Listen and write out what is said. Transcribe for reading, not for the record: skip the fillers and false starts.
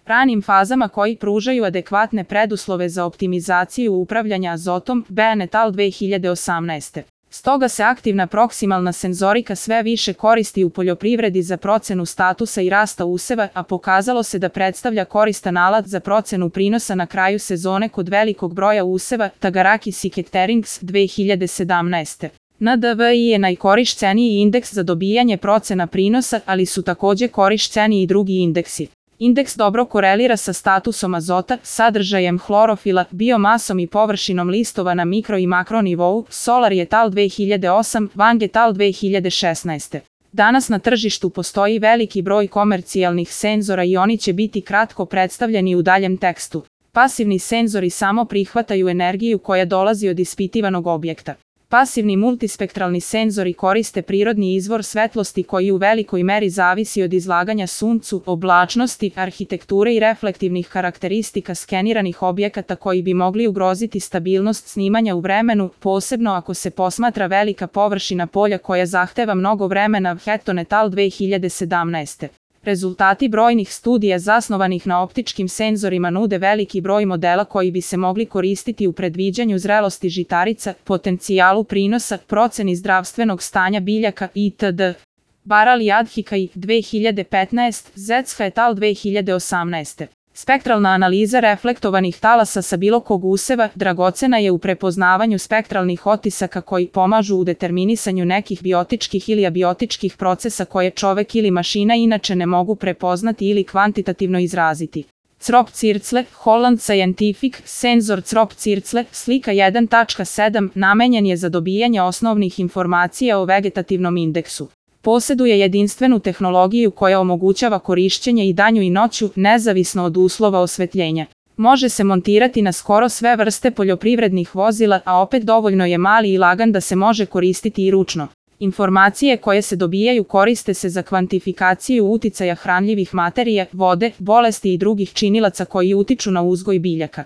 ranim fazama koji pružaju adekvatne preduslove za optimizaciju upravljanja azotom, BN et al. 2018. Stoga se aktivna proksimalna senzorika sve više koristi u poljoprivredi za procenu statusa i rasta useva, a pokazalo se da predstavlja koristan alat za procenu prinosa na kraju sezone kod velikog broja useva, Tagaraki Sikekterings 2017. NDVI je najkorišćeniji indeks za dobijanje procena prinosa, ali su takođe korišćeni i drugi indeksi. Indeks dobro korelira sa statusom azota, sadržajem hlorofila, biomasom i površinom listova na mikro i makro nivou, Solar et al. 2008, Wang et al. 2016. Danas na tržištu postoji veliki broj komercijalnih senzora i oni će biti kratko predstavljeni u daljem tekstu. Pasivni senzori samo prihvataju energiju koja dolazi od ispitivanog objekta. Pasivni multispektralni senzori koriste prirodni izvor svetlosti koji u velikoj meri zavisi od izlaganja suncu, oblačnosti, arhitekture i reflektivnih karakteristika skeniranih objekata koji bi mogli ugroziti stabilnost snimanja u vremenu, posebno ako se posmatra velika površina polja koja zahteva mnogo vremena, Hatton et al. 2017. Rezultati brojnih studija zasnovanih na optičkim senzorima nude veliki broj modela koji bi se mogli koristiti u predviđanju zrelosti žitarica, potencijalu prinosa, proceni zdravstvenog stanja biljaka itd. Baral i Adhikaj 2015, Zetska et al. 2018. Spektralna analiza reflektovanih talasa sa bilo kog useva dragocena je u prepoznavanju spektralnih otisaka koji pomažu u determinisanju nekih biotičkih ili abiotičkih procesa koje čovek ili mašina inače ne mogu prepoznati ili kvantitativno izraziti. Crop Circle, Holland Scientific, senzor Crop Circle, slika 1.7, namenjen je za dobijanje osnovnih informacija o vegetativnom indeksu. Poseduje jedinstvenu tehnologiju koja omogućava korišćenje i danju i noću, nezavisno od uslova osvetljenja. Može se montirati na skoro sve vrste poljoprivrednih vozila, a opet dovoljno je mali i lagan da se može koristiti i ručno. Informacije koje se dobijaju koriste se za kvantifikaciju uticaja hranljivih materija, vode, bolesti i drugih činilaca koji utiču na uzgoj biljaka.